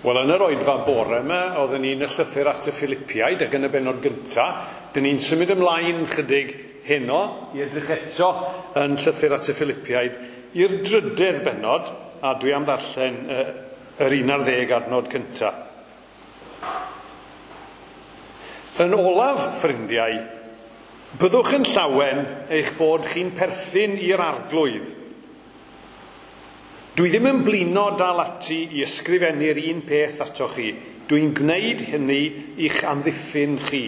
Wel, yn yr oedfa bore yma, oedden ni'n y llythyr at y Philipiaid ac yn y bennod gynta. Dyn ni'n symud ymlaen chydig heno i edrych eto yn llythyr at y Philipiaid i'r drydedd bennod, a dwi am ddarllen yr 11 adnod cynta. Yn olaf, ffrindiau, byddwch yn llawen eich bod chi'n perthyn i'r arglwydd. Dwi ddim yn blino dal ati i ysgrifennu'r un peth atoch chi. Dwi'n gwneud hynny i'ch amddiffyn chi.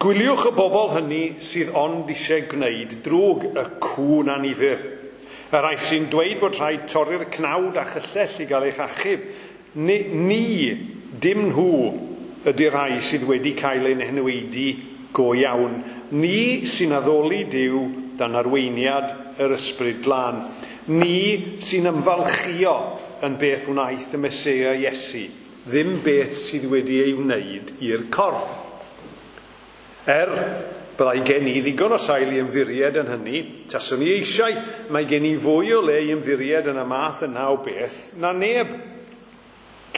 Gwyliwch y bobl hynny sydd ond eisiau gwneud drwg y cŵn annifyr. Y rhai sy'n dweud fod rhaid torri'r cnawd a chyllell i gael eich achub. Ni, ni dim nhw, ydy'r rhai sydd wedi cael ein henweidi go iawn. Ni sy'n addoli Duw dan arweiniad yr Ysbryd Glân. Ni sy'n ymfalchio yn beth wnaeth y Meseia Iesu, ddim beth sydd wedi ei wneud i'r corff. Er, byddai gen i ddigon o sail i ymddiried yn hynny, taswn i eisiau, mae gen i fwy o le i ymddiried yn y math yna o beth na neb.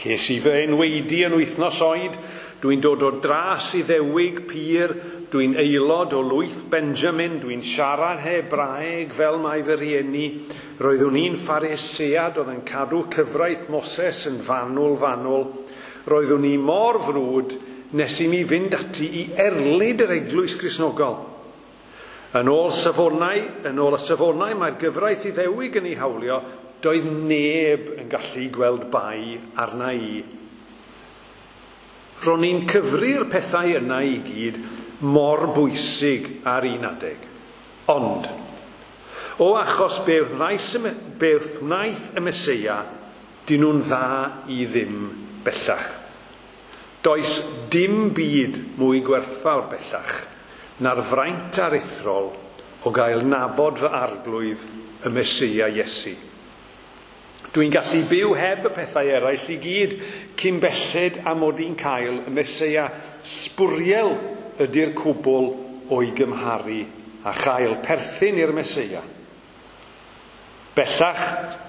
Ces i fy enweidi yn wythnos oed, dwi'n dod o dras Iddewig pur, dwi'n aelod o lwyth Benjamin, dwi'n siarad Hebraeg fel mae fy rhieni. Roeddwn i'n Pharisead oedd yn cadw cyfraith Moses yn fanwl fanwl. Roeddwn i mor frwd nes i mi fynd ati i erlid yr eglwys Gristnogol. Yn ôl safonau, yn ôl y safonau mae'r gyfraith Iddewig yn ei hawlio, doedd neb yn gallu gweld bai arna i. Ro'n i'n cyfri'r pethau yna i gyd mor bwysig ar un adeg. Ond, o achos beth wnaeth, wnaeth y Meseia, dyn nhw'n dda i ddim bellach. Does dim byd mwy gwerthfawr bellach na'r fraint aruthrol o gael nabod fy arglwydd y Meseia Iesu. Dwi'n gallu byw heb y pethau eraill i gyd cyn belled a mod i'n cael y Meseia. Sbwriel ydy'r cwbl o'i gymharu a chael perthyn i'r Meseia. Bellach,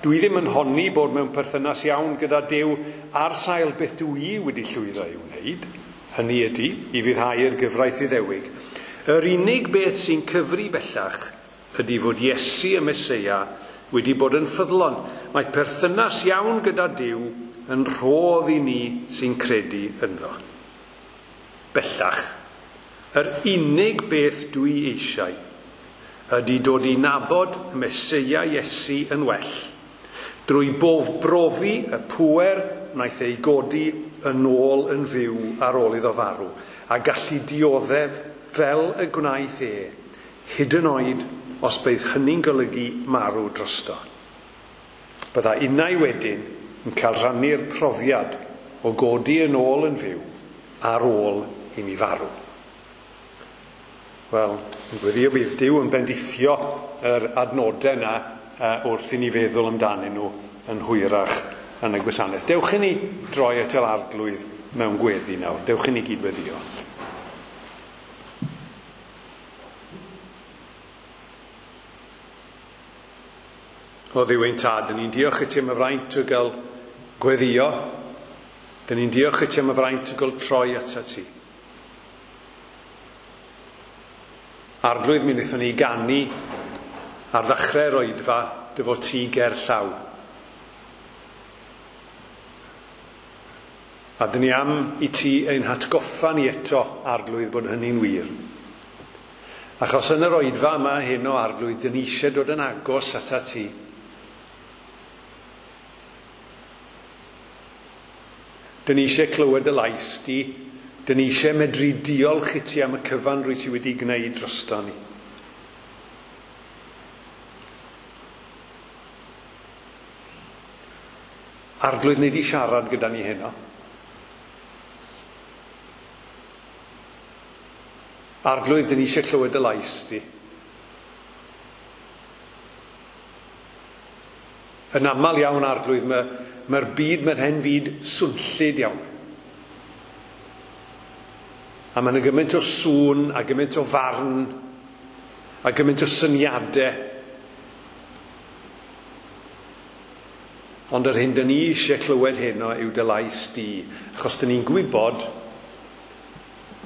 dwi ddim yn honni bod mewn perthynas iawn gyda Duw ar sail beth dwi wedi llwyddo i'w wneud, hynny ydy, i fuddhau'r gyfraith Iddewig. Yr unig beth sy'n cyfri bellach ydy fod Iesu y Meseia wedi bod yn ffyddlon. Mae perthynas iawn gyda Duw yn rhodd i ni sy'n credu ynddo. Bellach, yr unig beth dwi eisiau ydy dod i nabod y Meseia Iesu yn well, drwy bof brofi y pŵer wnaeth ei godi yn ôl yn fyw ar ôl iddo farw, a gallu dioddef fel y gwnaeth e, hyd yn oed os bydd hynny'n golygu marw drosto. Bydda innau wedyn yn cael rhannu'r profiad o godi yn ôl yn fyw ar ôl i mi farw. Wel, yn gweddio bydd Duw yn bendithio yr adnodau yna wrth i ni feddwl amdanyn nhw yn hwyrach yn y gwasanaeth. Dewch i ni droi at yr arglwydd mewn gweddi nawr. Dewch i ni gyd-weddio. O Dduw ein tad, dyn ni'n diolch i ti am y fraint o gael gweddio. Dyn ni'n diolch i ti am y fraint o gael troi atat ti. Arglwydd, mi wnaethon ni ganu ar ddechrau'r oedfa dy fod ti ger llaw. A dyn ni am i ti ein hatgoffa ni eto, Arglwydd, bod hynny'n wir. Achos yn yr oedfa yma heno, Arglwydd, dyn ni eisiau dod yn agos atat ti. Dyn ni eisiau clywed y lais di. Dyn ni eisiau medru diolch i ti am y cyfan rwy ti wedi gwneud drosto ni. Arglwydd, nei di siarad gyda ni heno. Arglwydd, dyn ni eisiau clywed y lais di. Yn aml iawn, Arglwydd, mae'r byd, mae'r hen fyd swnllyd iawn. A mae yna gymaint o sŵn, a gymaint o farn, a gymaint o syniadau. Ond yr hyn dyn ni eisiau clywed heno yw dy lais di, achos dyn ni'n gwybod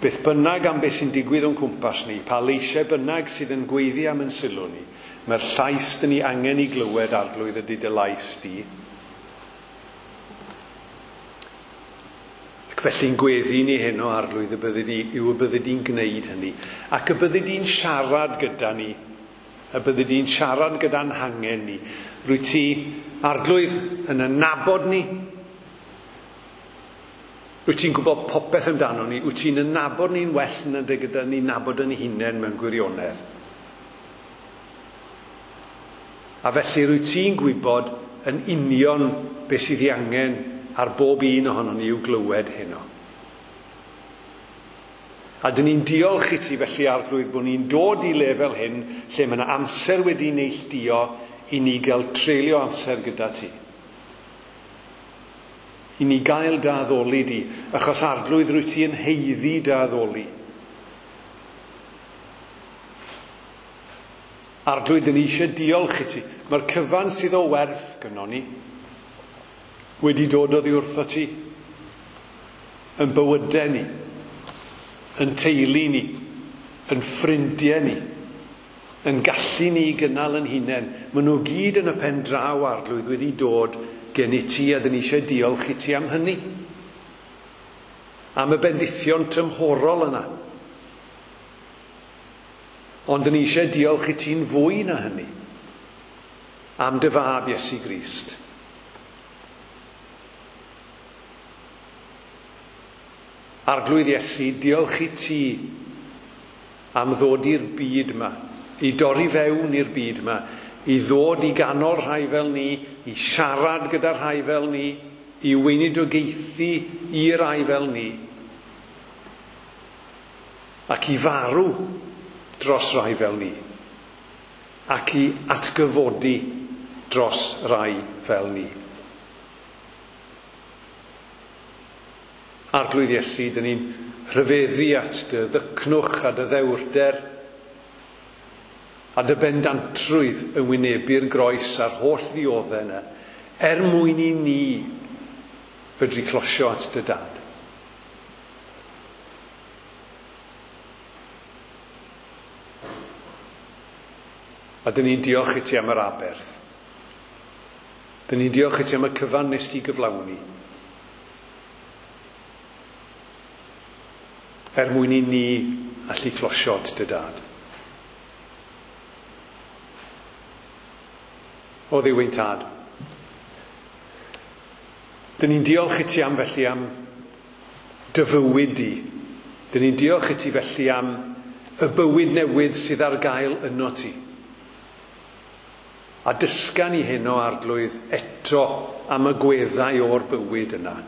beth bynnag am beth sy'n digwydd o'n cwmpas ni, pa leisiau bynnag sydd yn gweiddi am yn sylw ni, mae'r llais dyn ni angen i glywed, Arglwydd, ydy dy lais di. Ac felly'n gweddi ni heno, Arglwydd, y byddi di, yw y byddi di'n gwneud hynny, ac y byddi di'n siarad gyda ni, y byddi di'n siarad gyda'n hangen ni. Rwyt ti, Arglwydd, yn ynabod ni. Wyt ti'n gwybod popeth amdano ni. Wyt ti'n ynabod ni'n well na dy gyda ni'n nabod yn hunain mewn gwirionedd. A felly rwyt ti'n gwybod yn union beth sydd ei angen ar bob un ohonon ni i'w glywed heno. A dyn ni'n diolch i ti felly, Arglwydd, bod ni'n dod i lefel hyn lle mae yna amser wedi neilltuo i ni gael treulio amser gyda ti. I ni gael dy addoli di, achos Arglwydd rwyt ti yn haeddu dy addoli. Arglwydd, dyn ni eisiau diolch i ti. Mae'r cyfan sydd o werth gynnon ni wedi dod oddi wrtho ti, yn bywydau ni, yn teulu ni, yn ffrindiau ni, yn gallu ni i gynnal yn hunain. Maen nhw gyd yn y pen draw, Arglwydd, wedi dod gen i ti, a dyn ni eisiau diolch i ti am hynny. Am y bendithion tymhorol yna. Ond dyn ni eisiau diolch i ti'n fwy na hynny. Am dy fab Iesu Grist. Arglwydd Iesu, diolch i ti am ddod i'r byd yma, i dorri fewn i'r byd yma, i ddod i ganol rhai fel ni, i siarad gyda rhai fel ni, i weinidogaethu i rai fel ni, ac i farw dros rai fel ni, ac i atgyfodi dros rai fel ni. Arglwydd Iesu, dyn ni'n rhyfeddu at dy ddycnwch a dy ddewrder a dy bendantrwydd yn wynebu'r groes a'r holl ddioddau yna, er mwyn i ni fedru closio at dy dad. A dyn ni'n diolch i ti am yr aberth. Dyn ni'n diolch i ti am y cyfan nes ti gyflawni, er mwyn i ni allu closio at dy dad. O Dduw ein tad, dyn ni'n diolch i ti am felly am dy fywyd di. Dyn ni'n diolch i ti felly am y bywyd newydd sydd ar gael yno ti. A dysga ni heno, Arglwydd, eto am y gweddau o'r bywyd yna.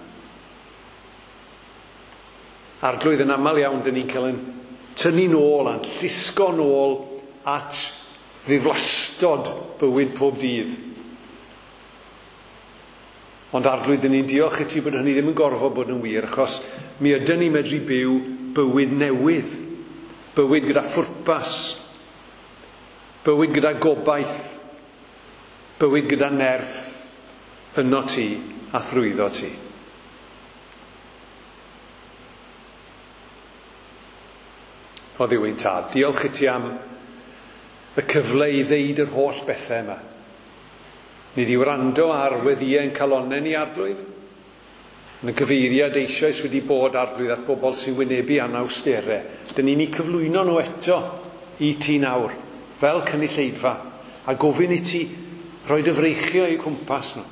Arglwydd, yn aml iawn, dyn ni'n cael yn tynnu nôl a'n llusgo nôl at ddiflastod bywyd pob dydd. Ond Arglwydd, dyn ni'n diolch i ti bod hynny ddim yn gorfod bod yn wir, achos mi ydyn ni'n medru byw bywyd newydd, bywyd gyda phwrpas, bywyd gyda gobaith, bywyd gyda nerth yno ti a thrwyddo ti. O Dduw ein tad, diolch i ti am y cyfle i ddeud yr holl bethau yma. Ni di wrando ar weddïau ein calonnau ni, Arglwydd. Yn y gyfeiriad eisoes wedi bod, Arglwydd, at bobl sy'n wynebu anawsterau. Dyn ni'n eu cyflwyno nhw eto i ti nawr, fel cynulleidfa, a gofyn i ti roi dy freichio i'w cwmpas nhw.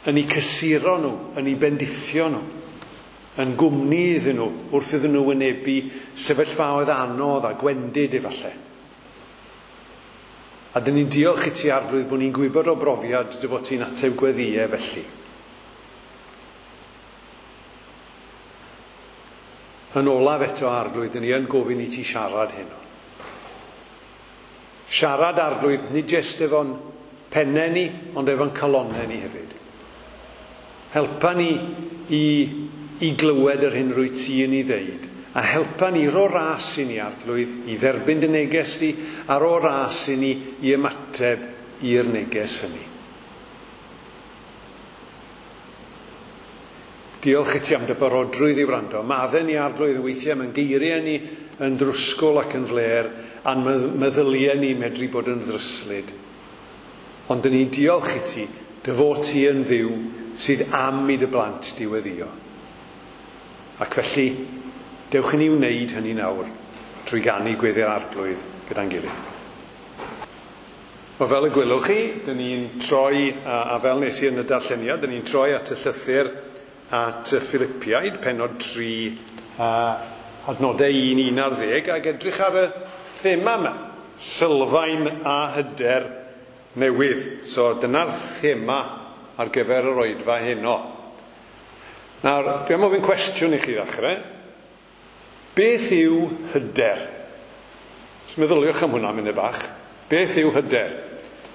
Yn eu cysuro nhw, yn eu bendithio nhw, yn gwmni iddyn nhw wrth iddyn nhw wynebu sefyllfaoedd anodd a gwendid efallai. A dyn ni'n diolch i ti, Arglwydd, bod ni'n gwybod o brofiad dy fod ti'n ateb gweddïau felly. Yn olaf eto, Arglwydd, dyn ni yn gofyn i ti siarad heno. Siarad, Arglwydd, nid jyst efo'n pennau ni, ond efo'n calonnau ni hefyd. Helpa ni i glywed yr hyn rwyt ti yn ei ddeud, a helpa ni ro ras i ni, Arglwydd, i dderbyn dy neges di, a ro ras i ni i ymateb i'r neges hynny. Diolch i ti am dy barodrwydd i wrando. Maddau ni Arglwydd weithiau mae'n geiriau ni yn drwsgwl ac yn flêr, a'n meddyliau ni medru bod yn ddryslyd. Ond dyn ni'n diolch i ti, dy fod ti yn Dduw sydd am i dy blant di weddïo. Ac felly, dewch i ni wneud hynny nawr trwy ganu Gweddi'r Arglwydd gyda'n gilydd. Wel, fel y gwelwch chi, dyn ni'n troi, a fel nes i yn y darlleniad, dyn ni'n troi at y llythyr at y Philipiaid, pennod 3, adnodau 1 11, ac edrych ar y thema yma, sylfaen a hyder newydd. So dyna'r thema ar gyfer yr oedfa heno. Nawr, dwi am ofyn cwestiwn i chi ddechrau. Beth yw hyder? Os meddyliwch am hwnna munud bach. Beth yw hyder?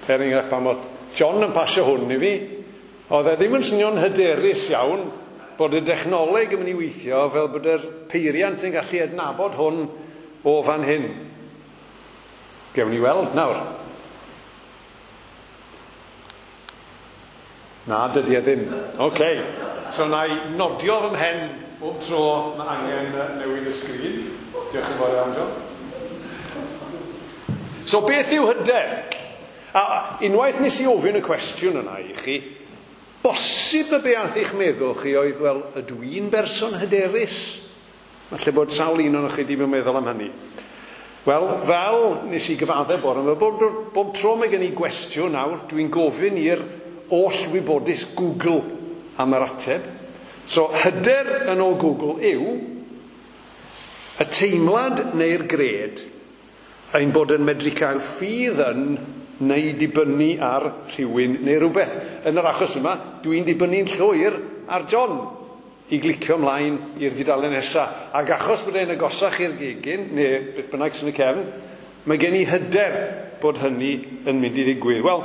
Er enghraifft, pan oedd John yn pasio hwn i fi, oedd e ddim yn swnio'n hyderus iawn bod y dechnoleg yn mynd i weithio fel bod yr peiriant yn gallu adnabod hwn o fan hyn. Gewn ni weld nawr. Na, dydy e ddim. OK. So na i nodio fy mhen bob tro mae angen newid y sgrin. Diolch yn fawr iawn, John. So beth yw hyder? A unwaith nes i ofyn y cwestiwn yna i chi, bosib y be ath eich meddwl chi oedd, wel, ydw i'n berson hyderus? Falle bod sawl un ohonoch chi wedi bod yn meddwl am hynny. Wel, fel nes i gyfadde bore yma, bob tro mae gen i gwestiwn nawr, dwi'n gofyn i'r oll wybodus Google am yr ateb. So, hyder yn ôl Google yw y teimlad neu'r gred ein bod yn medru cael ffydd yn neu dibynnu ar rhywun neu rhywbeth. Yn yr achos yma, dwi'n dibynnu'n llwyr ar John i glicio ymlaen i'r dudalen nesaf. Ac achos bod e'n agosach i'r gegin, neu beth bynnag sy'n y cefn, mae gen i hyder bod hynny yn mynd i ddigwydd. Wel,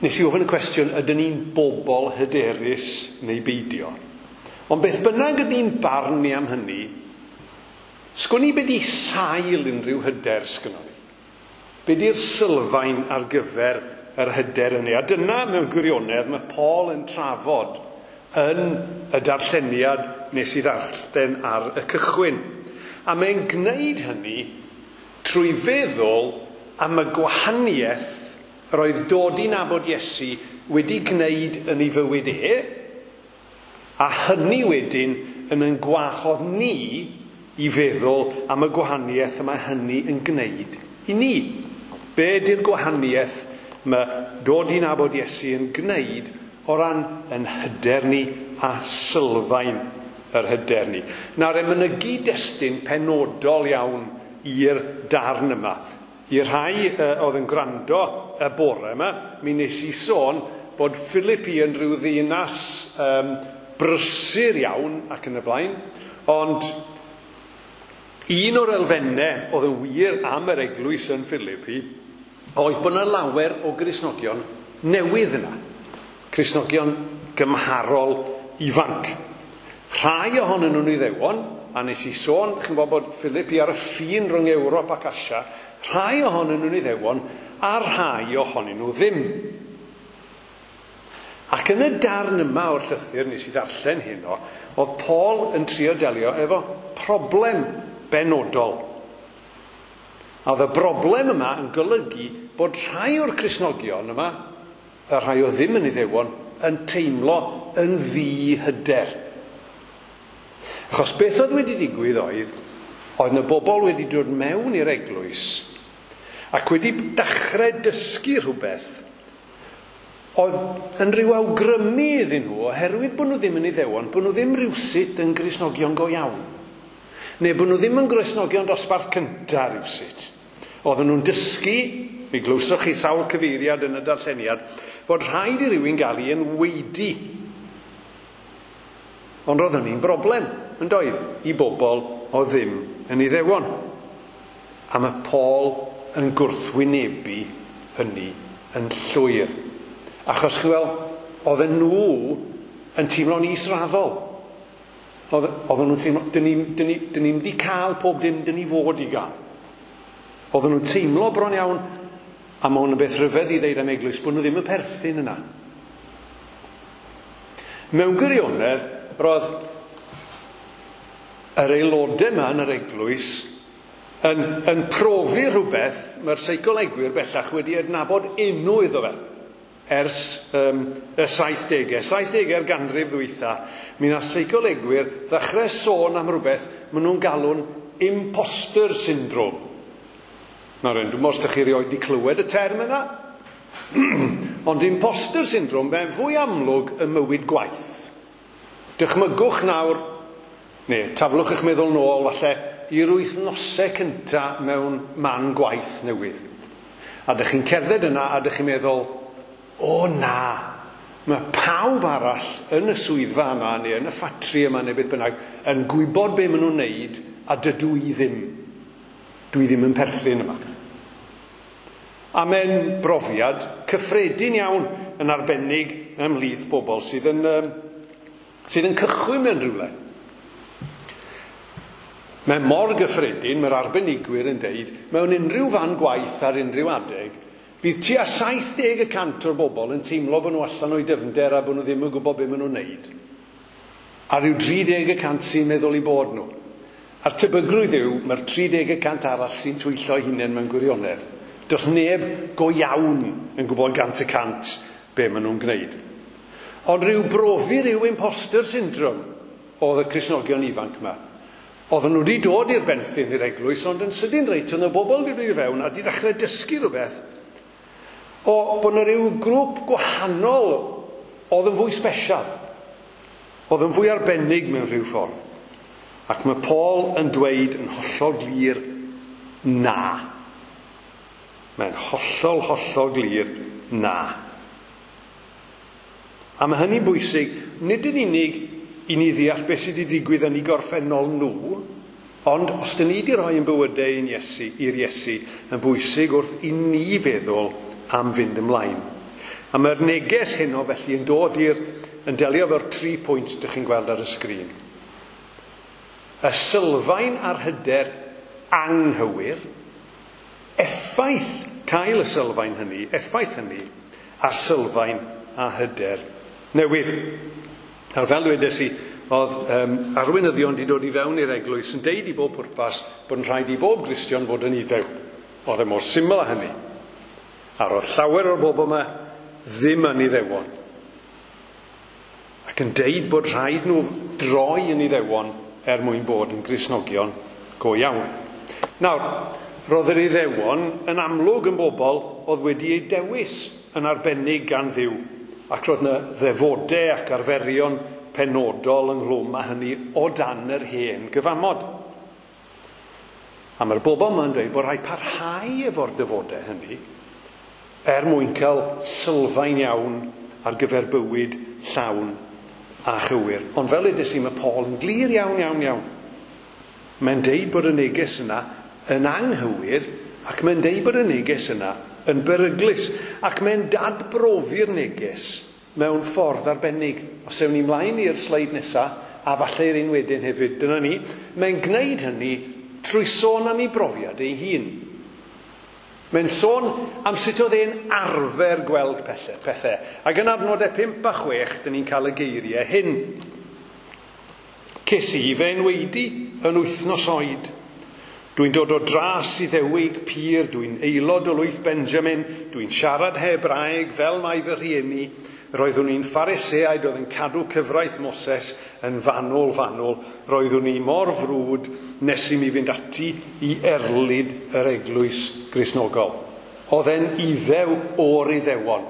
nes i ofyn y cwestiwn, ydyn ni'n bobl hyderus neu beidio? Ond beth bynnag ydy'n barn ni am hynny, sgwn i be di sail unrhyw hyder sgynnon ni? Be di'r sylfaen ar gyfer yr hyder hynny? A dyna mewn gwirionedd mae Paul yn trafod yn y darlleniad nes i ddarllen ar y cychwyn. A mae'n gwneud hynny trwy feddwl am y gwahaniaeth yr oedd dod i nabod Iesu wedi gwneud yn ei fywyd e, a hynny wedyn yn gwahodd ni i feddwl am y gwahaniaeth y mae hynny yn gwneud i ni. Be di'r gwahaniaeth mae dod i nabod Iesu yn gwneud o ran yn hyder ni a sylfaen yr hyder ni? Nawr, e mynygu destun penodol iawn i'r darn yma. I'r rhai oedd yn gwrando y bore yma, mi nes i sôn bod Philippi yn rhyw ddinas brysur iawn ac yn y blaen, ond un o'r elfennau oedd yn wir am yr eglwys yn Philippi oedd bod yna lawer o Gristnogion newydd yna. Cristnogion gymharol ifanc. Rhai ohonyn nhw'n Iddewon, a nes i sôn, chi'n gwybod bod Philippi ar y ffin rhwng Ewrop ac Asia, rhai ohonyn nhw'n Iddewon, a rhai ohonyn nhw ddim. Ac yn y darn yma o'r llythyr nes i ddarllen heno, oedd Paul yn trio delio efo problem benodol. A oedd y broblem yma yn golygu bod rhai o'r Cristnogion yma, y rhai o ddim yn Iddewon, yn teimlo yn ddihyder. Achos beth oedd wedi digwydd oedd yna bobl wedi dod mewn i'r eglwys ac wedi dechrau dysgu rhywbeth oedd yn rhyw awgrymu iddyn nhw, oherwydd bod nhw ddim yn Iddewon, bod nhw ddim rywsut yn Gristnogion go iawn. Neu bod nhw ddim yn Gristnogion dosbarth cyntaf rywsut. Oedden nhw'n dysgu, mi glywsoch chi sawl cyfeiriad yn y darlleniad, bod rhaid i rywun gael ei enwaedu. Ond roedd hynny'n broblem, yn doedd, i bobl o ddim yn Iddewon. A mae Paul yn gwrthwynebu hynny yn llwyr. Achos chi'n weld, oedden nhw yn teimlo'n israddol. Oedden nhw'n teimlo, dyn ni'n wedi cael pob dim dyn ni fod i gael. Oedden nhw'n teimlo bron iawn, a mae hwn yn beth rhyfedd i ddeud am eglwys, bod nhw ddim yn perthyn yna. Mewn gwirionedd, roedd yr aelodau yma yn yr eglwys yn profi rhywbeth mae'r seicolegwyr bellach wedi adnabod enw iddo fe ers y 70au. 70au'r ganrif ddwytha, mi nath seicolegwyr ddechrau sôn am rhywbeth maen nhw'n galw'n imposter syndrome. Nawr, dwi'n meddwl os ydych chi erioed wedi clywed y term yna. Ond imposter syndrome, mae'n fwy amlwg ym mywyd gwaith. Dychmygwch nawr, neu taflwch eich meddwl nôl falle, i'r wythnosau cynta mewn man gwaith newydd. A dych chi'n cerdded yna a dych chi'n meddwl, o na, mae pawb arall yn y swyddfa yma neu yn y ffatri yma neu beth bynnag yn gwybod be maen nhw'n neud a dydw i ddim. Dwi ddim yn perthyn yma. A mae'n brofiad cyffredin iawn yn arbennig ymhlith bobl sydd yn cychwyn mewn rhywle. Mae mor gyffredin, mae'r arbenigwyr yn deud, mewn unrhyw fan gwaith ar unrhyw adeg, fydd tua 70% o'r bobl yn teimlo bod nhw allan o'i dyfnder a bod nhw ddim yn gwybod beth maen nhw'n neud. A rhyw 30% sy'n meddwl i bod nhw. A'r tebygrwydd yw, mae'r 30% arall sy'n twyllo eu hunain mewn gwirionedd. Does neb go iawn yn gwybod 100% be maen nhw'n gwneud. Ond rhyw brofi rhyw imposter syndrome oedd y Cristnogion ifanc yma. Oedden nhw wedi dod i'r benthyn i'r eglwys, ond yn sydyn reit, oedd y bobl wedi dod i fewn a wedi dechrau dysgu rhywbeth o bod yna rhyw grŵp gwahanol oedd yn fwy special, oedd yn fwy arbennig mewn rhyw ffordd. Ac mae Paul yn dweud yn hollol glir, na. Mae'n hollol, hollol glir, na. A mae hynny'n bwysig, nid yn unig i ni ddeall beth sydd wedi digwydd yn ei gorffennol nhw, ond os dyn ni wedi rhoi ein bywydau i'n Iesu, i'r Iesu, yn bwysig wrth i ni feddwl am fynd ymlaen. A mae'r neges heno felly yn dod i'r, yn delio efo'r 3 pwynt dych chi'n gweld ar y sgrin. Y sylfaen a'r hyder anghywir, effaith cael y sylfaen hynny, effaith hynny, a'r sylfaen a hyder newydd. Nawr, fel dwedes i, oedd arweinyddion wedi dod i fewn i'r eglwys yn deud i bob pwrpas bod yn rhaid i bob Gristion fod yn Iddew. Oedd e mor syml â hynny. A roedd llawer o'r bobl yma ddim yn Iddewon. Ac yn deud bod rhaid nhw droi yn Iddewon er mwyn bod yn Gristnogion go iawn. Nawr, roedd yr Iddewon yn amlwg yn bobl oedd wedi eu dewis yn arbennig gan Dduw. Ac roedd yna ddefodau ac arferion penodol ynghlwm â hynny o dan yr hen gyfamod. A mae'r bobl yma'n dweud bod rhaid parhau efo'r defodau hynny er mwyn cael sylfaen iawn ar gyfer bywyd llawn a chywir. Ond fel edes i, mae Paul yn glir iawn, iawn, iawn. Mae'n deud bod y neges yna yn anghywir ac mae'n deud bod y neges yna yn beryglus ac mae'n dadbrofi'r neges mewn ffordd arbennig. Os ewn ni mlaen i'r sleid nesaf, a falle i'r un wedyn hefyd, dyna ni, mae'n gwneud hynny trwy sôn am ei brofiad ei hun. Mae'n sôn am sut oedd e'n arfer gweld pethau. Ac yn adnodau 5 a 6, dyn ni'n cael y geiriau hyn. Ces i fy enwaedu yn wythnos oed. Dwi'n dod o dras Iddewig pur, dwi'n aelod o lwyth Benjamin, dwi'n siarad Hebraeg fel mae fy rhieni. Roeddwn i'n Phariseaid oedd yn cadw cyfraith Moses yn fanwl fanwl. Roeddwn i mor frwd nes i mi fynd ati i erlid yr eglwys Gristnogol. Oedd e'n Iddew o'r Iddewon.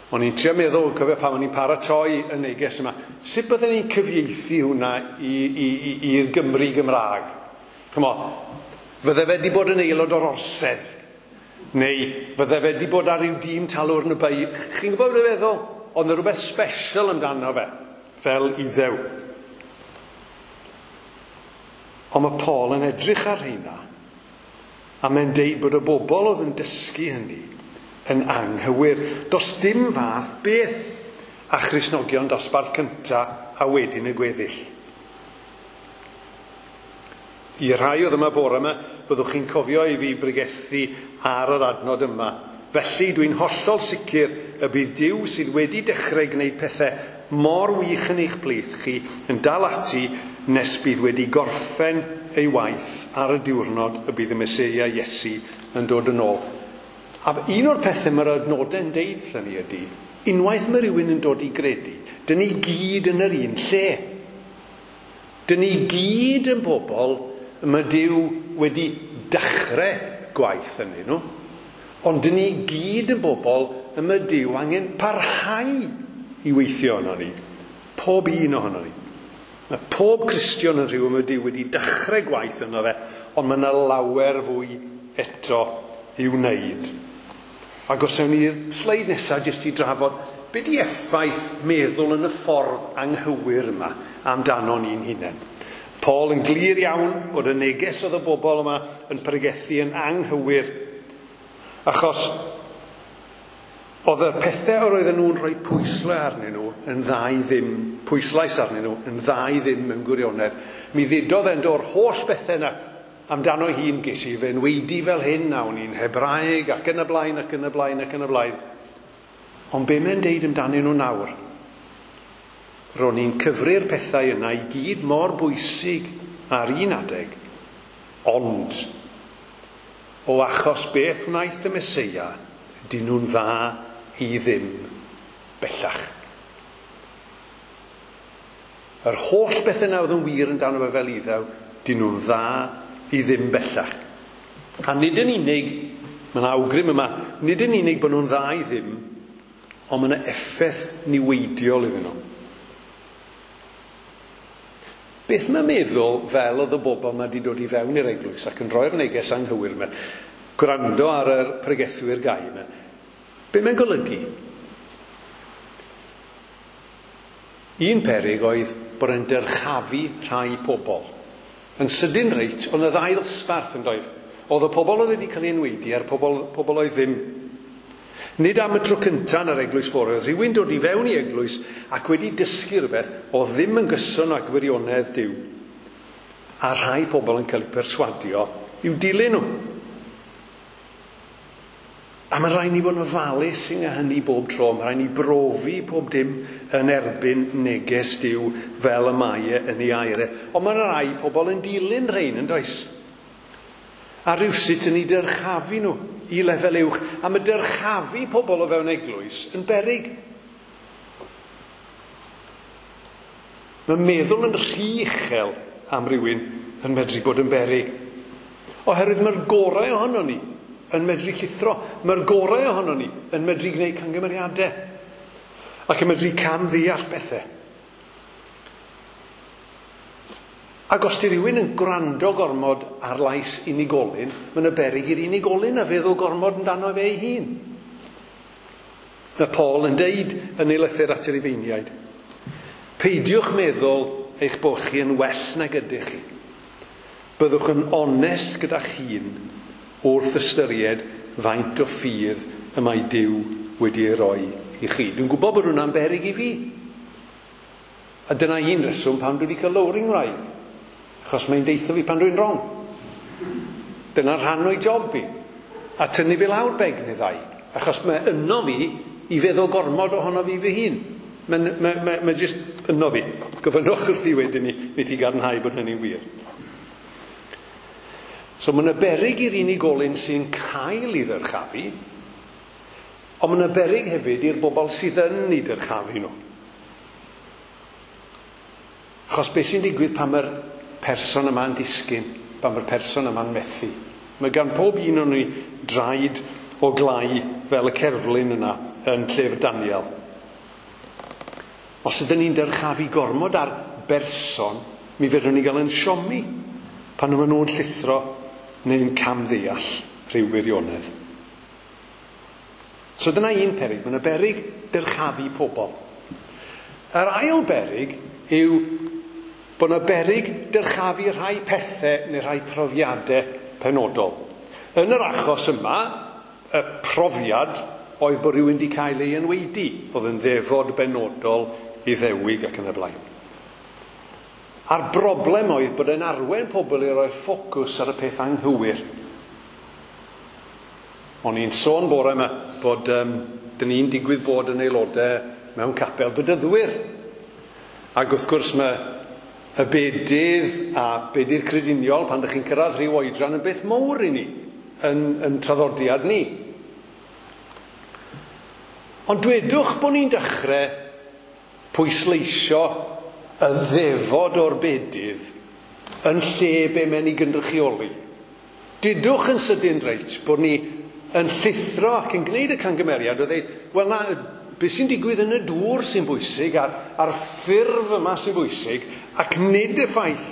O'n i'n trio meddwl, cofio pan o'n i'n paratoi y neges yma, sut bydden ni'n cyfieithu hwnna i'r Gymru Gymraeg? Ch'mo, fydde fe wedi bod yn aelod o'r orsedd, neu fydde fe wedi bod ar ryw dîm talwrn y bai. Chi'n gwybod beth dwi'n feddwl? Oedd 'na rhywbeth special amdano fe, fel Iddew. Ond mae Paul yn edrych ar rheina, a mae'n deud bod y bobl oedd yn dysgu hynny yn anghywir. Does dim fath beth a Christnogion dosbarth cynta a wedyn y gweddill. I rhai oedd yma bore yma, byddwch chi'n cofio i fi bregethu ar yr adnod yma. Felly dwi'n hollol sicr y bydd Duw sydd wedi dechrau gwneud pethau mor wych yn eich plith chi yn dal ati nes bydd wedi gorffen ei waith ar y diwrnod y bydd y Meseia Iesu yn dod yn ôl. A un o'r pethau mae'r adnodau'n deud wrthon ni ydy, unwaith mae rhywun yn dod i gredu, dyn ni gyd yn yr un lle. Dyn ni gyd yn bobl mae Duw wedi dechrau gwaith ynddyn nhw, ond dyn ni gyd yn bobl y mae Duw angen parhau i weithio yno ni. Pob un ohono ni. Mae pob Cristion yn rhywun mae Duw wedi dechrau gwaith yno fe, ond mae yna lawer fwy eto i'w wneud. Ac os ewn ni'r sleid nesaf jyst i drafod, be di effaith meddwl yn y ffordd anghywir yma amdano ni'n hunain? Paul yn glir iawn bod y neges oedd y bobl yma yn pregethu yn anghywir, achos oedd y pethau yr oedden nhw'n rhoi pwyslais arnyn nhw yn dda i ddim, pwyslais arnyn nhw yn dda i ddim mewn gwirionedd. Mi ddudodd e'n o'r holl bethau yna amdano hun, ges i fe enweidi fel hyn, a o'n i'n Hebraeg, ac yn y blaen, ac yn y blaen, ac yn y blaen. Ond be mae'n deud amdanyn nhw nawr? Ro'n i'n cyfri'r pethau yna i gyd mor bwysig ar un adeg, ond o achos beth wnaeth y Meseia, dyn nhw'n dda i ddim bellach. Yr holl beth yna oedd yn wir amdano fe fel Iddew, dyn nhw'n dda i ddim bellach. A nid yn unig, mae yna awgrym yma, nid yn unig bod nhw'n dda i ddim, ond mae yna effaith niweidiol iddyn nhw. Beth mae'n meddwl fel oedd y bobl yma wedi dod i fewn i'r eglwys ac yn rhoi'r neges anghywir yma, gwrando ar yr pregethwyr gau yma, be mae'n golygu? Un peryg oedd bod e'n dyrchafu rhai pobl. Yn sydyn reit, oedd y ddau ddosbarth yn doedd. Oedd y pobl oedd wedi cael ei enweidi a'r pobl oedd ddim. Nid am y tro cyntaf yn yr eglwys fore, oedd rhywun dod i fewn i eglwys ac wedi dysgu rhywbeth oedd ddim yn gyson â gwirionedd Duw. A rhai pobl yn cael eu perswadio i'w dilyn nhw. A mae'n rhaid ni fod yn ofalus yng hynny bob tro. Mae'n rhaid ni brofi pob dim yn erbyn neges Duw fel y mae e yn ei air e. Ond mae'n rhai pobl yn dilyn rhain, yn does? A rhywsut yn ei dyrchafu nhw i lefel uwch. A mae dyrchafu pobl o fewn eglwys yn beryg. Mae meddwl yn rhy uchel am rywun yn medru bod yn beryg. Oherwydd mae'r gorau ohono ni yn medru llithro. Mae'r gorau ohono ni yn medru gwneud camgymeriadau. Ac yn medru cam ddeall bethau. Ac os di rhywun yn gwrando gormod ar lais unigolyn, mae yna beryg i'r unigolyn a feddwl gormod amdano fe ei hun. Mae Paul yn deud yn ei lythyr at y Rufeiniaid, peidiwch meddwl eich bod chi yn well nag ydych chi. Byddwch yn onest gyda'ch hun wrth ystyried faint o ffydd y mae Duw wedi ei roi i chi. Dwi'n gwybod bod hwnna'n beryg i fi. A dyna un reswm pam dwi wedi cael lowering wraig. Achos mae'n deitho fi pan dwi'n wrong. Dyna rhan o'i job fi. A tynnu fi lawr beg neu ddau. Achos mae yno fi i feddwl gormod ohono fi fy hun. Mae jyst yno fi. Gofynnwch wrthi wedyn ni, wneith i gadarnhau bod hynny'n wir. So mae yna beryg i'r unigolyn sy'n cael ei ddyrchafu, ond mae yna beryg hefyd i'r bobl sydd yn ei dyrchafu nhw. Achos beth sy'n digwydd pan mae'r person yma'n disgyn, pan mae'r person yma'n methu? Mae gan pob un o'n ni draed o glai fel y cerflun yna yn llyfr Daniel. Os ydyn ni'n dyrchafu gormod ar berson, mi fedrwn ni gael yn siomi pan maen nhw'n llithro neu'n camddeall rhyw wirionedd. So dyna un peryg, mae yna beryg dyrchafu pobl. Yr ail beryg yw bod yna beryg dyrchafu rhai pethau neu rhai profiadau penodol. Yn yr achos yma, y profiad oedd bod rhywun wedi cael ei enweidi, oedd yn ddefod benodol i ddewig ac yn y blaen. A'r broblem oedd bod e'n arwain pobl i roi'r ffocws ar y peth anghywir. O'n i'n sôn bore yma bod dyn ni'n digwydd bod yn aelodau mewn capel bedyddwyr. Ac wrth gwrs mae y bedydd a bedydd crediniol pan ydych chi'n cyrraedd rhyw oedran yn beth mowr i ni, yn traddodiad ni. Ond dwedwch bod ni'n dechrau pwysleisio y ddefod o'r bedydd yn lle be mae'n ei gynrychioli. Dudwch yn sydyn reit bod ni yn llithro ac yn gwneud y cangymeriad o ddeud, wel na, beth sy'n digwydd yn y dŵr sy'n bwysig a'r ffurf yma sy'n bwysig, ac nid y ffaith,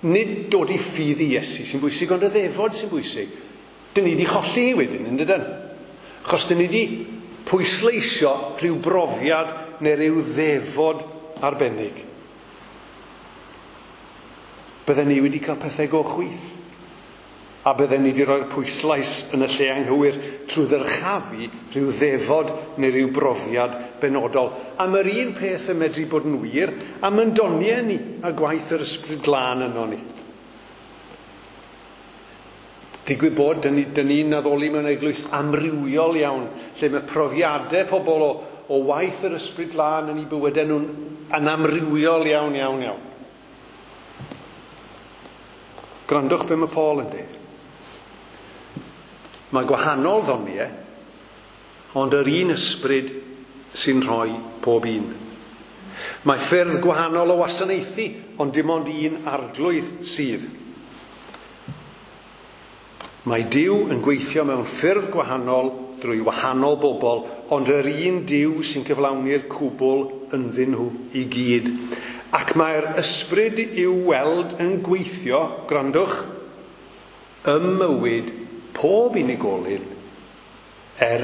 nid dod i ffydd i Iesu sy'n bwysig, ond y ddefod sy'n bwysig. Dyn ni wedi cholli wedyn, yn dydyn? Achos dyn ni wedi pwysleisio rhyw brofiad neu rhyw ddefod arbennig. Bydden ni wedi cael pethau go chwith. A bydden ni wedi rhoi'r pwyslais yn y lle anghywir trwy ddyrchafu rhyw ddefod neu rhyw brofiad benodol. A mae'r un peth yn medru bod yn wir am yn doniau ni a gwaith yr Ysbryd Glân yno ni. Digwydd bod, dyn ni'n addoli mewn eglwys amrywiol iawn, lle mae profiadau pobl o waith yr Ysbryd Glân yn eu bywydau nhw'n yn amrywiol iawn, iawn, iawn. Gwrandwch be mae Paul yn dweud. Mae gwahanol ddoniau, ond yr un ysbryd sy'n rhoi pob un. Mae ffyrdd gwahanol o wasanaethu, ond dim ond un arglwydd sydd. Mae Duw yn gweithio mewn ffyrdd gwahanol drwy wahanol bobl, ond yr un Duw sy'n cyflawni'r cwbl ynddyn nhw i gyd. Ac mae'r ysbryd i'w weld yn gweithio, gwrandwch, ym mywyd pob unigolyn er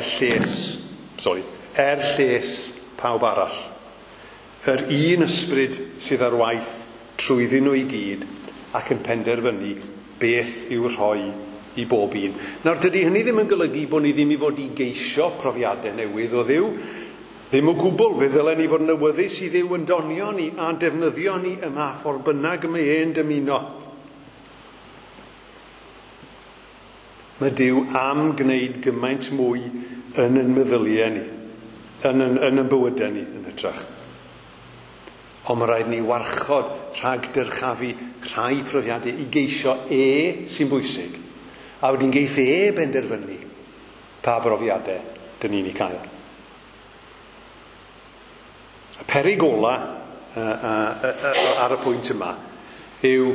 lles pawb arall. Yr un ysbryd sydd ar waith trwyddyn nhw i gyd ac yn penderfynu beth i'w rhoi i bob un. Nawr, dydy hynny ddim yn golygu bod ni ddim i fod i geisio profiadau newydd o Dduw. Ddim o gwbl, fe ddylen ni fod yn awyddus i Dduw yn donio ni a defnyddio ni yma ffordd bynnag y mae e'n dymuno. Mae Duw am gwneud gymaint mwy yn ein meddyliau ni, yn ein bywydau ni yn hytrach. Ond mae rhaid ni warchod rhag dyrchafu rhai profiadau i geisio e sy'n bwysig, a wedyn geith e benderfynu pa brofiadau dyn ni'n ei cael. Y peryg ola ar y pwynt yma yw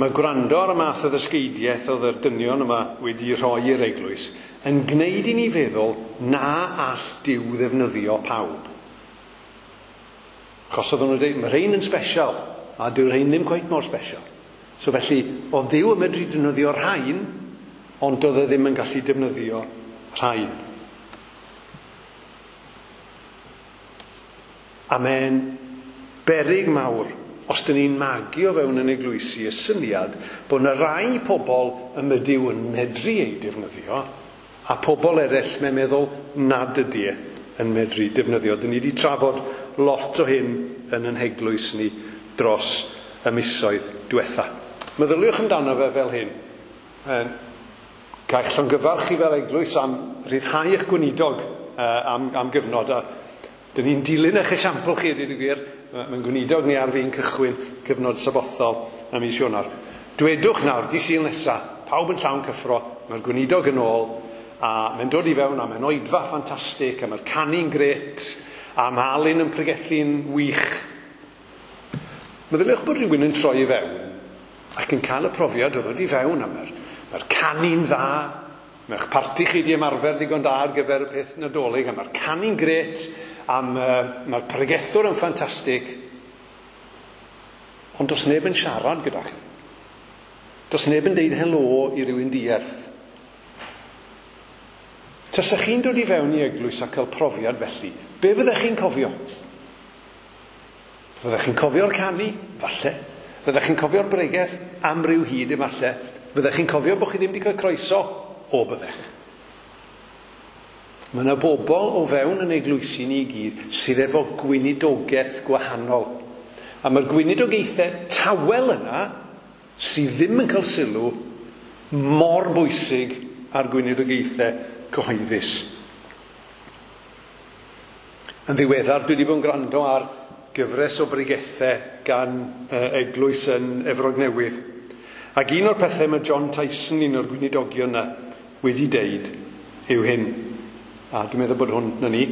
mae gwrando ar y math o ddysgeidiaeth oedd yr dynion yma wedi rhoi i'r eglwys yn gwneud i ni feddwl na all Duw ddefnyddio pawb. Achos oedden nhw'n dweud, mae rhain yn special, a dyw'r rhain ddim cweit mor special. So felly, oedd Duw yn medru defnyddio rhain, ond doedd e ddim yn gallu defnyddio rhain. A mae'n beryg mawr, os dyn ni'n magu o fewn yn eglwysi y syniad bod yna rai pobl y mae Duw yn medru eu defnyddio, a pobl eraill mae'n meddwl nad ydy e yn medru defnyddio. Dyn ni wedi trafod lot o hyn yn ein heglwys ni dros y misoedd diwetha. Meddyliwch amdano fe fel hyn. Gael eich llongyfarch chi fel eglwys am ryddhau eich gweinidog am gyfnod. A dyn ni'n dilyn eich esiampl chi, dweud y gwir. Mae'n gweinidog ni ar fin cychwyn cyfnod sabothol ym mis Ionawr. Dwedwch nawr, di Sul nesa, pawb yn llawn cyffro, mae'r gweinidog yn ôl, a mae'n dod i fewn a mae'n oedfa ffantastig, a mae'r canu'n grêt, a mae Alun yn pregethu'n wych. Meddyliwch bod rhywun yn troi i fewn ac yn cael y profiad o ddod i fewn, a mae'r canu'n dda, mae'ch parti chi di ymarfer ddigon da ar gyfer y peth Nadolig, a mae'r canu'n grêt, a mae'r pregethwr yn ffantastig, ond does neb yn siarad gyda chi. Does neb yn deud helo i rywun dierth. Tasech chi'n dod i fewn i eglwys a cael profiad felly, be fyddech chi'n cofio? Fyddech chi'n cofio'r canu? Falle. Fyddech chi'n cofio'r bregeth? Am ryw hyd efalle. Fyddech chi'n cofio bod chi ddim wedi cael croeso? O, byddech. Mae yna bobl o fewn yn eglwysi ni i gyd sydd efo gweinidogaeth gwahanol. A mae'r gweinidogaethau tawel yna sydd ddim yn cael sylw mor bwysig â'r gweinidogaethau cyhoeddus. Yn ddiweddar, dwi wedi bod yn gwrando ar gyfres o bregethau gan eglwys yn Efrog Newydd. Ac un o'r pethau mae John Tyson, un o'r gweinidogion yna, wedi deud yw hyn. A dwi'n meddwl bod hwn na ni.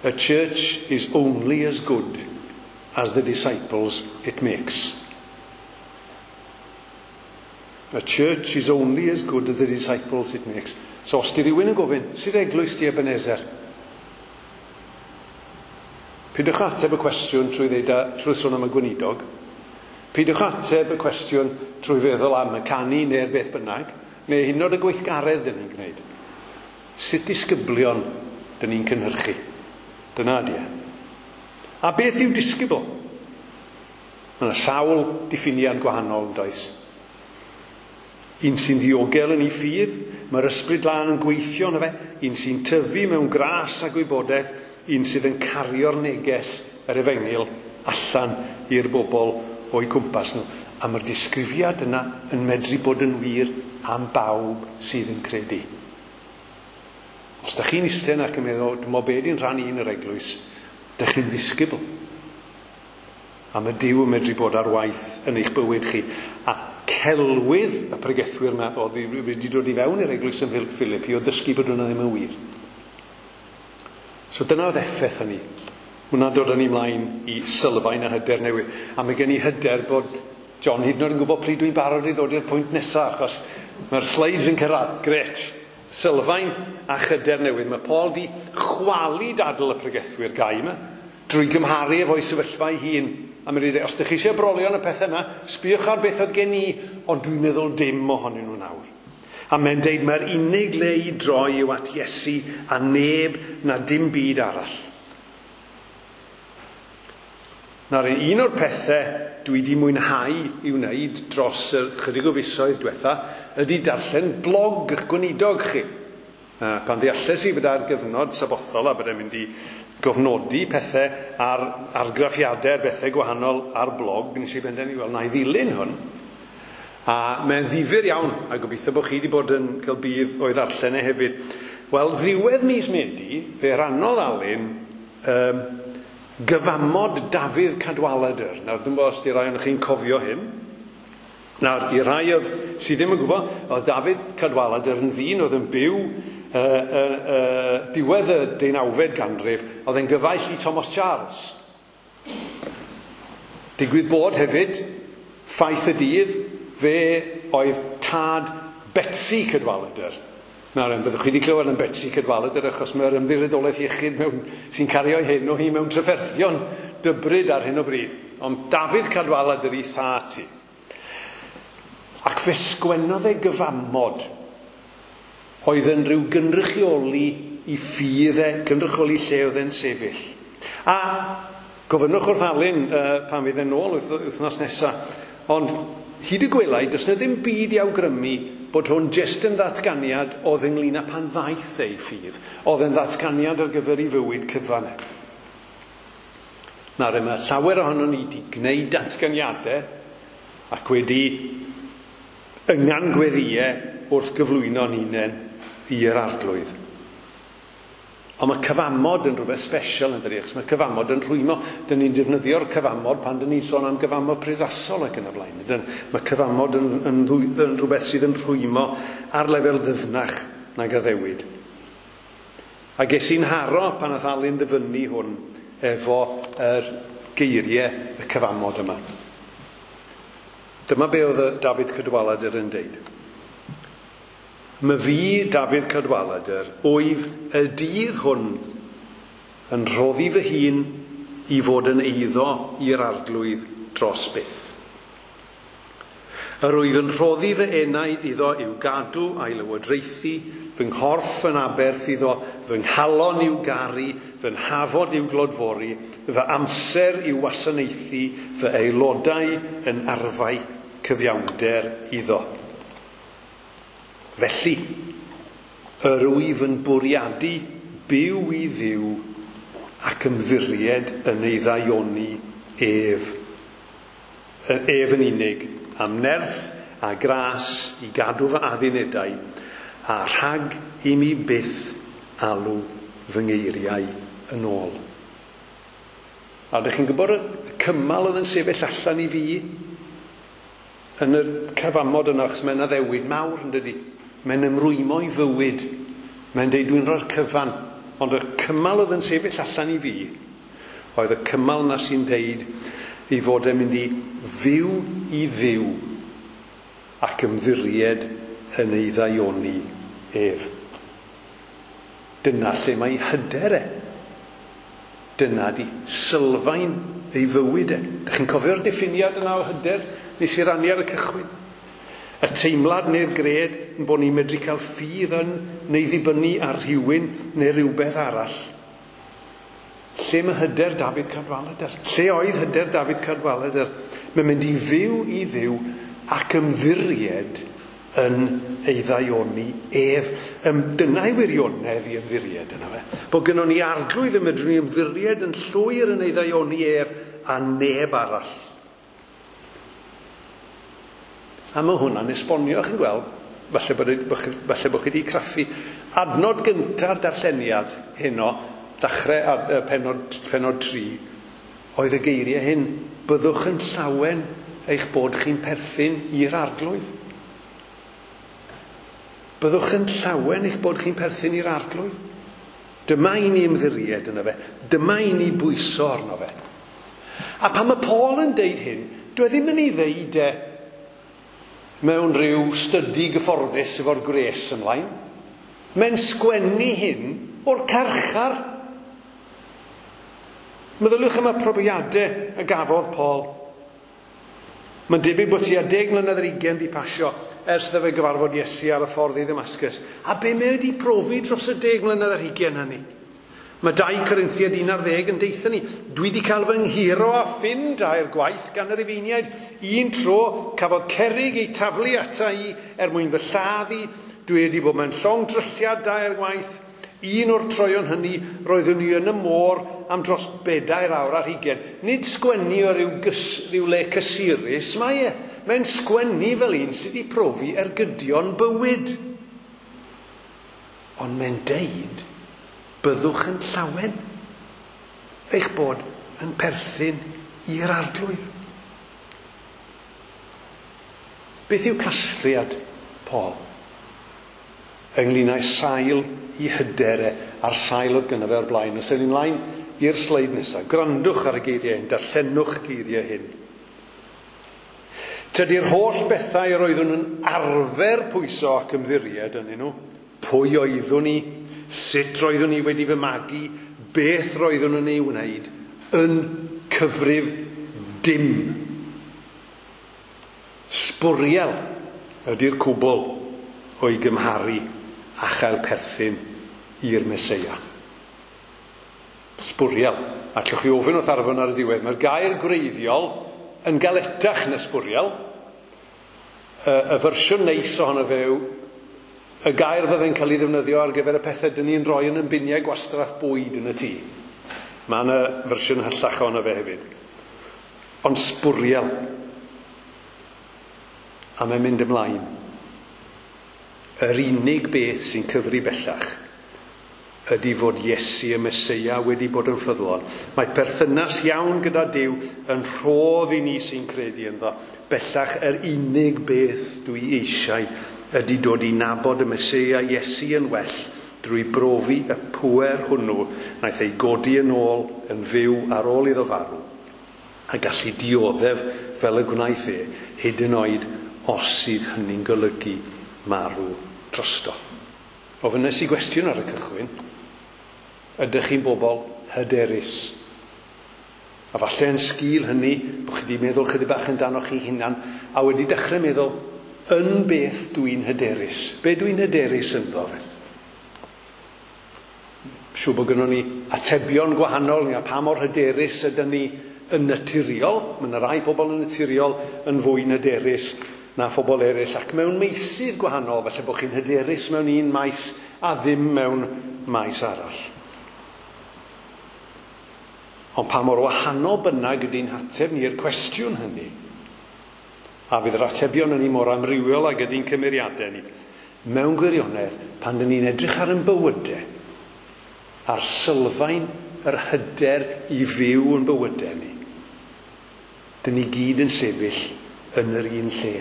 "A church is only as good as the disciples it makes." A church is only as good as the disciples it makes. So os di rhywun yn gofyn, "Sut eglwys di Ebenezer?" Peidiwch ateb y cwestiwn trwy ddeud trwy sôn am y gweinidog. Peidiwch ateb y cwestiwn trwy feddwl am y canu neu'r beth bynnag, neu hyd yn oed y gweithgaredd dyn ni'n gwneud. Sut disgyblion dyn ni'n cynhyrchu? Dyna ydi e. A beth yw disgybl? Mae yna sawl diffiniad gwahanol, does? Un sy'n ddiogel yn ei ffydd, mae'r Ysbryd Glân yn gweithio yno fe, un sy'n tyfu mewn gras a gwybodaeth, un sydd yn cario'r neges yr efengyl allan i'r bobl o'i cwmpas nhw. A mae'r disgrifiad yna yn medru bod yn wir am bawb sydd yn credu. Os da chi'n eistedd ac yn meddwl, "Dwi'n meddwl be di'n rhan i yn yr eglwys," da chi'n ddisgybl. A mae Duw yn medru bod ar waith yn eich bywyd chi. A celwydd y pregethwyr yma oedd wedi dod i fewn i'r eglwys yn Philippi o ddysgu bod hwnna ddim yn wir. So dyna oedd effaith hynny. Hwna'n dod â ni mlaen i sylfaen a hyder newydd. A mae gen i hyder bod John hyd yn oed yn gwybod pryd dwi'n barod i ddod i'r pwynt nesaf, achos mae'r slides yn cyrraedd. Gret. Sylfaen a hyder newydd. Mae Paul di chwalu dadl y pregethwyr gau yma drwy gymharu efo'i sefyllfa ei hun. A mae'n dweud, "Os ydych chi eisiau brolio yn y pethau yma, sbïwch ar beth oedd gen i, ond dwi'n meddwl dim ohonyn nhw nawr." A mae'n deud mae'r unig le i droi yw at Iesu a neb na dim byd arall. Nawr, un o'r pethau dwi wedi mwynhau i wneud dros y chydig o fisoedd diwetha ydy darllen blog eich gweinidog chi. Pan ddealles i bod ar gyfnod sabothol a bod e'n mynd i gofnodi pethau ar argraffiadau, bethau gwahanol ar blog, nes i benderfynu, wel, na i ddilyn hwn. A mae'n ddifyr iawn, a gobeithio bod chi wedi bod yn cael budd o'i ddarllen e hefyd. Wel, ddiwedd mis Medi, fe rannodd Alun gyfamod Dafydd Cadwaladr. Nawr, dwi'n bod os di rai ohonoch chi'n cofio hyn. Nawr, i rai oedd sydd ddim yn gwybod, oedd Dafydd Cadwaladr yn ddyn oedd yn byw diwedd y 19fed ganrif, oedd e'n gyfaill i Thomas Charles. Digwydd bod hefyd, ffaith y dydd, fe oedd tad Betsi Cadwaladr. Nawr, byddwch chi wedi clywed am Betsi Cadwaladr achos mae'r Ymddiriedolaeth Iechyd mewn, sy'n cario ei henw hi mewn trafferthion dybryd ar hyn o bryd. Ond Dafydd Cadwaladr ei thad hi. Ac fe sgwennodd e gyfamod oedd yn rhyw gynrychioli i ffydd e, gynrychioli lle oedd e'n sefyll. A gofynnwch wrth Alun pan fydd e'n ôl wythnos nesaf. Ond hyd y gwelai, does na ddim byd i awgrymu bod hwn jyst yn ddatganiad oedd ynglyn â pan ddaeth ei ffydd. Oedd yn ddatganiad ar gyfer ei fywyd cyfan. Nawr, mae llawer ohonon ni wedi gwneud datganiadau ac wedi yngan gweddïau wrth gyflwyno'n hunain i'r Arglwydd. Ond mae cyfamod yn rhywbeth special yn dydi, achos mae cyfamod yn rhwymo. Dyn ni'n defnyddio'r cyfamod pan dyn ni'n sôn am gyfamod priodasol ac yn y blaen. Dyn, mae cyfamod yn rhywbeth sydd yn rhwymo ar lefel ddyfnach nag addewid. A ges i'n haro pan nath Alun ddyfynnu hwn efo yr geiriau y cyfamod yma. Dyma be oedd y Dafydd Cadwaladr yn deud. "My fi, Dafydd Cadwaladr, wyf y dydd hwn yn rhoddi fy hun i fod yn eiddo i'r Arglwydd dros byth. Yr wyf yn rhoddi fy enaid iddo i'w gadw a'i lywodraethu, fy nghorff yn aberth iddo, fy nghalon i'w garu, fy nhafod i'w glodfori, fy amser i'w wasanaethu, fy aelodau yn arfau cyfiawnder iddo. Felly, yr wyf yn bwriadu byw i Dduw ac ymddiried yn ei ddaioni ef yn unig, am nerth a gras i gadw fy addunedau, a rhag i mi byth alw fy ngeiriau yn ôl." A ydych chi'n gwybod y cymal oedd yn sefyll allan i fi yn y cyfamod yna, achos mae'n addewid mawr yn dydi. Mae'n ymrwymo i fywyd. Mae'n deud dwi'n rhoi'r cyfan. Ond y cymal oedd yn sefyll allan i fi oedd y cymal yna sy'n deud ei fod e'n mynd i fyw i Dduw ac ymddiried yn ei ddaioni ef. Dyna lle mae hyder e. Dyna di sylfaen ei fywyd e. Dych chi'n cofio'r diffiniad yna o hyder nes i rannu ar y cychwyn? Y teimlad neu'r gred yn bod ni'n medru cael ffydd yn neu ddibynnu ar rhywun neu rhywbeth arall. Lle mae hyder Dafydd Cadwaladr? Lle oedd hyder Dafydd Cadwaladr? Mae'n mynd i fyw i Dduw ac ymddiried yn ei ddaioni ef. Dyna'i wirionedd i ymddiried yna fe. Bod gynnon ni arglwydd y medrwn ni ymddiried yn llwyr yn ei ddaioni ef a neb arall. A mae hwnna'n esbonio, chi'n gweld, falle bod chi wedi craffu. Adnod gynta'r darlleniad heno, dechrau pennod 3, oedd y geiriau hyn: byddwch yn llawen eich bod chi'n perthyn i'r arglwydd. Byddwch yn llawen eich bod chi'n perthyn i'r arglwydd. Dyma i ni ymddiried yno fe. Dyma i ni bwyso arno fe. A pan mae Paul yn deud hyn, dwi ddim yn ei ddeud e mewn rhyw stydi gyfforddus efo'r gwres ymlaen. Mae'n sgwennu hyn o'r carchar. Meddyliwch am y profiadau y gafodd Paul. Mae'n debyg bod tua 10 mlynedd ar 20 di pasio ers iddo fe gyfarfod Iesu ar y ffordd i Ddamascus. A be mae wedi profi dros y 10 mlynedd ar 20 hynny? Mae 2 Corinthiaid 11 yn deutha ni, dwi wedi cael fy nghuro a ffyn dair gwaith gan yr Rufeiniaid. Un tro cafodd cerrig ei taflu ata i er mwyn fy lladd i. Dwi wedi bod mewn llong drylliad dair gwaith. Un o'r troion hynny roeddwn i yn y môr am dros 4 awr ar 20. Nid sgwennu o ryw le cysurus mae e. Mae'n sgwennu fel un sydd wedi profi ergydion bywyd. Ond mae'n deud, byddwch yn llawen eich bod yn perthyn i'r arglwydd. Beth yw casgliad Paul ynglyn â'i sail i hyder e a'r sail oedd gynno fe o'r blaen? Os ewn ni mlaen i'r sleid nesaf, gwrandwch ar y geiriau hyn, darllenwch geiriau hyn. Tydi'r holl bethau yr oeddwn yn arfer pwyso ac ymddiried ynddyn nhw, pwy oeddwn i, sut roeddwn i wedi fy magu, beth roeddwn yn ei wneud, yn cyfrif dim. Sbwriel ydy'r cwbl o'i gymharu a chael perthyn i'r Meseia. Sbwriel. A allwch chi ofyn wrth Arfon ar y diwedd, mae'r gair gwreiddiol yn galetach na sbwriel. Y fersiwn neis ohono fe yw y gair fydde'n cael ei ddefnyddio ar gyfer y pethau dyn ni'n rhoi yn biniau gwastraff bwyd yn y tŷ. Mae yna fersiwn hyllach ohono fe hefyd. Ond sbwriel. A mae'n mynd ymlaen. Yr unig beth sy'n cyfri bellach ydy fod Iesu y Meseia wedi bod yn ffyddlon. Mae perthynas iawn gyda Duw yn rhodd i ni sy'n credu ynddo. Bellach yr unig beth dwi eisiau ydy dod i nabod y Meseia Iesu yn well drwy brofi y pŵer hwnnw wnaeth ei godi yn ôl yn fyw ar ôl iddo farw a gallu dioddef fel y gwnaeth e, hyd yn oed os sydd hynny'n golygu marw drosto. Ofynnes i gwestiwn ar y cychwyn, ydych chi'n bobl hyderus? A falle yn sgil hynny, bod chi wedi meddwl chydig bach amdano chi hunan, a wedi dechrau meddwl, yn beth dwi'n hyderus? Be dwi'n hyderus ynddo fe? Siŵr bod gynnon ni atebion gwahanol, a pa mor hyderus ydyn ni yn naturiol. Mae yna rai pobl yn naturiol yn fwy hyderus na phobl eraill, ac mewn meysydd gwahanol, falle bod chi'n hyderus mewn un maes a ddim mewn maes arall. Ond pa mor wahanol bynnag ydy'n hateb ni i'r cwestiwn hynny, a fydd yr atebion yn mor amrywiol ag ydy'n cymeriadau ni, mewn gwirionedd, pan dyn ni'n edrych ar ein bywydau, ar sylfaen yr hyder i fyw yn bywydau ni. Dyn ni gyd yn sefyll yn yr un lle.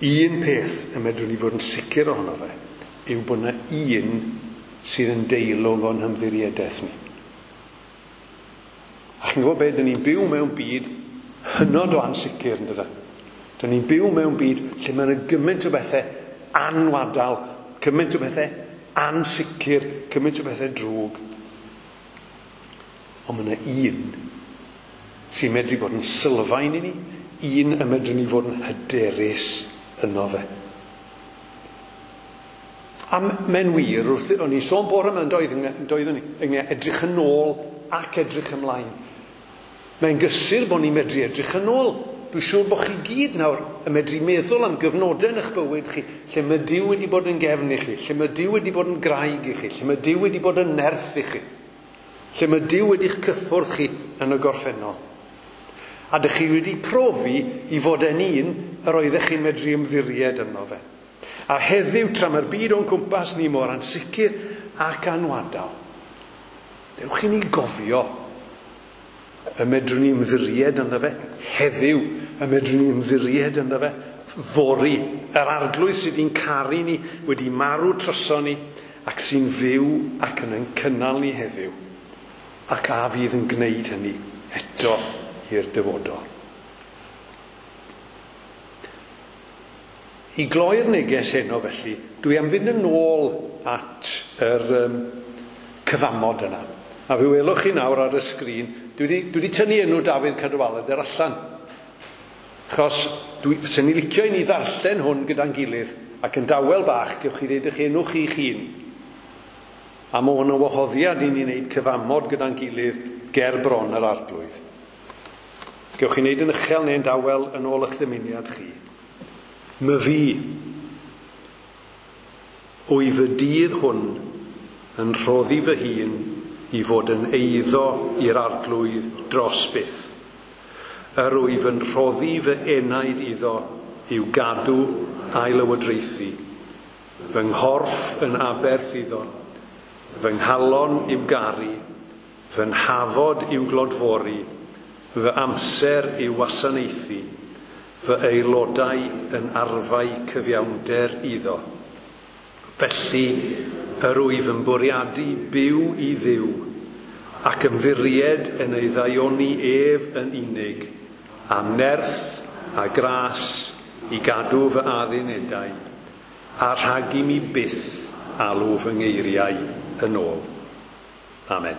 Un peth y medrwn ni fod yn sicr ohono fe yw bod yna un sydd yn deilwng o'n hymddiriedaeth ni. A chi'n gwybod beth, dyn ni'n byw mewn byd hynod o ansicr, yn dydan? Dyn ni'n byw mewn byd lle mae yna gymaint o bethau anwadal, cymaint o bethau ansicr, cymaint o bethau drwg. Ond mae yna un sy'n medru bod yn sylfaen i ni, un y medrwn ni fod yn hyderus yno fe. A mae'n wir, wrth, o'n i'n sôn bore yma yn doeddwn ni, ynglyn edrych yn ôl ac edrych ymlaen. Mae'n gysur bod ni'n medru edrych yn ôl. Dwi'n siŵr bod chi gyd nawr yn medru meddwl am gyfnodau yn eich bywyd chi, lle mae Duw wedi bod yn gefn i chi, lle mae Duw wedi bod yn graig i chi, lle mae Duw wedi bod yn nerth i chi, lle mae Duw wedi'ch cyffwrdd chi yn y gorffennol. A dych chi wedi profi i fod yn un yr oeddech chi'n medru ymddiried yno fe. A heddiw, tra mae'r byd o'n cwmpas ni mor ansicr ac anwadal, dewch i ni gofio y medrwn ni ymddiried ynddo fe heddiw, y medrwn ni ymddiried ynddo fe fory. Yr arglwydd sydd wedi'n caru ni, wedi marw troso ni, ac sy'n fyw ac yn ein cynnal ni heddiw, ac a fydd yn gwneud hynny eto i'r dyfodol. I gloi'r neges heno felly, dwi am fynd yn ôl at yr cyfamod yna. A fe welwch chi nawr ar y sgrin, dwi wedi tynnu enw Dafydd Cadwaladr allan. Achos sen i licio i ni ddarllen hwn gyda'n gilydd, ac yn dawel bach, gewch chi ddeud eich enw chi'ch hun. A mae hwn yn wahoddiad i ni wneud cyfamod gyda'n gilydd ger bron yr arglwydd. Gewch chi wneud yn uchel neu'n dawel yn ôl eich dymuniad chi. My fi, wyf y dydd hwn yn rhoddi fy hun i fod yn eiddo i'r arglwydd dros byth. Yr wyf yn rhoddi fy enaid iddo i'w gadw a'i lywodraethu. Fy nghorff yn aberth iddo, fy nghalon i'w garu, fy nhafod i'w glodfori, fy amser i'w wasanaethu, fy aelodau yn arfau cyfiawnder iddo. Felly, yr wyf yn bwriadu byw i Dduw ac ymddiried yn ei ddaioni ef yn unig, am nerth a gras i gadw fy addunedau, a rhag i mi byth alw fy ngeiriau yn ôl. Amen.